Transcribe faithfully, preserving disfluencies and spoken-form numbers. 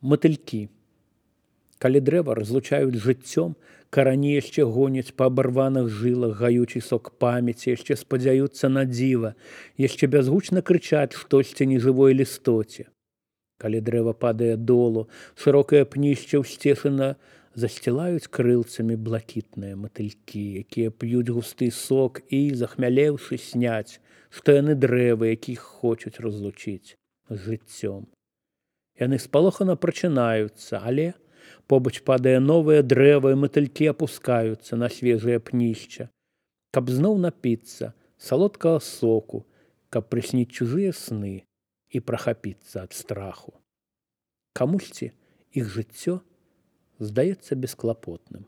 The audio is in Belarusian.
Матылькі. Калі дрэва разлучаюць жыццём, карані яшчэ гоняць па абарваных жылах, гаючы сок памяці, яшчэ спадзяюцца на дзіва, яшчэ бязгучна крычаць штосьці нежывой лістоце. Калі дрэва падае долу, шырокае пнішча ўсцешана засцілаюць крылцамі блакітныя матылькі, якія п'юць густы сок і, захмялеўшы, сняць, што яны дрэвы, якіх хочуць разлучыць з жыццём. Яны спалохана прачынаюцца, але побач падае новае дрэва, і матылькі апускаюцца на свежае пнішча, каб зноў напіцца салодкага соку, каб прысніць чужыя сны і прахапіцца ад страху. Камусьці іх жыццё здаецца бесклапотным.